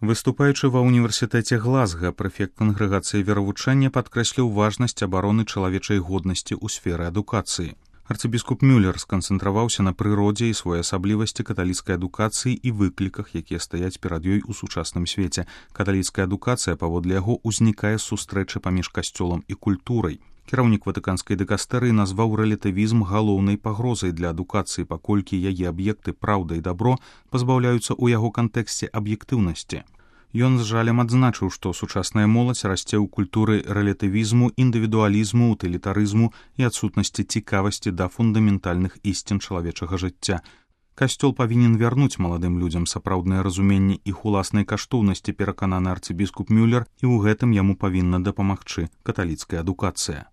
Выступаючы ва ўніверсітэце Глазга, прэфект кангрэгацыі веравучэння падкрэсліў важнасць абароны чалавечай годнасці ў сферы адукацыі. Арцыбіскуп Мюллер сканцэнтраваўся на прыродзе і своеасаблівасці каталіцкай адукацыі і выкліках, якія стаяць перад ёй у сучасным свеце. Каталіцкая адукацыя, паводле яго, узнікае з сустрэчы паміж касцёлам і культурай. Кіраўнік ватыканскай дыкастэрыі назваў рэлятывізм галоўнай пагрозай для адукацыі, паколькі яе аб'екты праўда і дабро пазбаўляюцца ў яго кантэксце аб'ектыўнасці. Ён з жалем адзначыў, што сучасная моладзь расце ў культуры рэлятывізму, індывідуалізму, утылітарызму і адсутнасці цікавасці да фундаментальных ісцін чалавечага жыцця. Касцёл павінен вярнуць маладым людзям сапраўднае разуменне іх уласнай каштоўнасці, перакананы арцыбіскуп Мюллер, і ў гэтым яму павінна дапамагчы каталіцкая адукацыя.